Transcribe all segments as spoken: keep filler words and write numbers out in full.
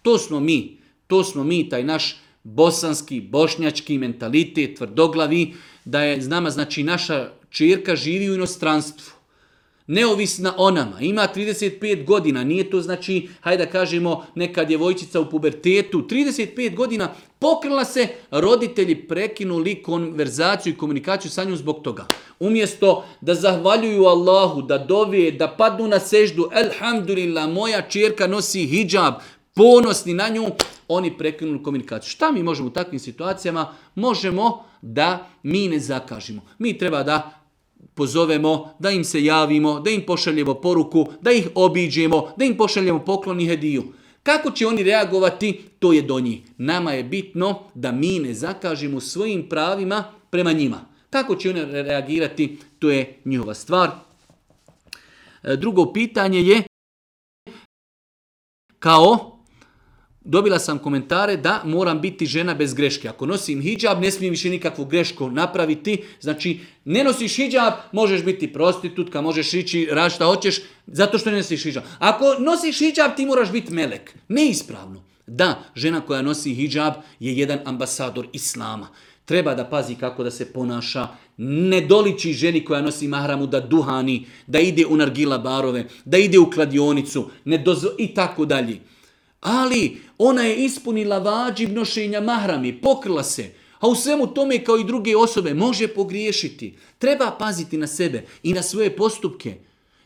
To smo mi. To smo mi, taj naš bosanski, bošnjački mentalitet, tvrdoglavi, da je nama, znači, naša ćerka živi u inostranstvu. Neovisna o nama, ima trideset pet godina, nije to znači, hajde da kažemo, neka djevojčica u pubertetu, trideset pet godina, pokrila se, roditelji prekinuli konverzaciju i komunikaciju sa njom zbog toga. Umjesto da zahvaljuju Allahu, da dovije, da padnu na seždu, elhamdulillah, moja ćerka nosi hidžab, ponosni na nju, oni prekinuli komunikaciju. Šta mi možemo u takvim situacijama? Možemo da mi ne zakažemo. Mi treba da pozovemo, da im se javimo, da im pošaljemo poruku, da ih obiđemo, da im pošaljemo poklon i hediju. Kako će oni reagovati, to je do njih. Nama je bitno da mi ne zakažemo svojim pravima prema njima. Kako će oni reagirati, to je njihova stvar. Drugo pitanje je, kao, dobila sam komentare da moram biti žena bez greške. Ako nosim hidžab, ne smijem više nikakvu grešku napraviti. Znači, ne nosiš hidžab, možeš biti prostitutka, možeš ići rad šta hoćeš, zato što ne nosiš hidžab. Ako nosiš hidžab, ti moraš biti melek. Neispravno. Da, žena koja nosi hidžab je jedan ambasador islama. Treba da pazi kako da se ponaša. Ne doliči ženi koja nosi mahramu da duhani, da ide u nargila barove, da ide u kladionicu, ne dozvo, i tako dalje. Ali ona je ispunila vađib nošenja mahrami, pokrila se, a u svemu tome kao i druge osobe može pogriješiti. Treba paziti na sebe i na svoje postupke.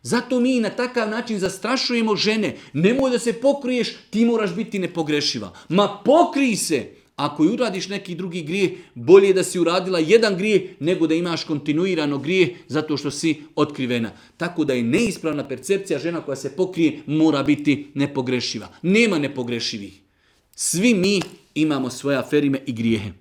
Zato mi na takav način zastrašujemo žene. Nemoj da se pokriješ, ti moraš biti nepogrešiva. Ma pokrij se! Ako uradiš neki drugi grijeh, bolje je da si uradila jedan grijeh nego da imaš kontinuirano grijeh zato što si otkrivena. Tako da je neispravna percepcija, žena koja se pokrije mora biti nepogrešiva. Nema nepogrešivih. Svi mi imamo svoje aferime i grijehe.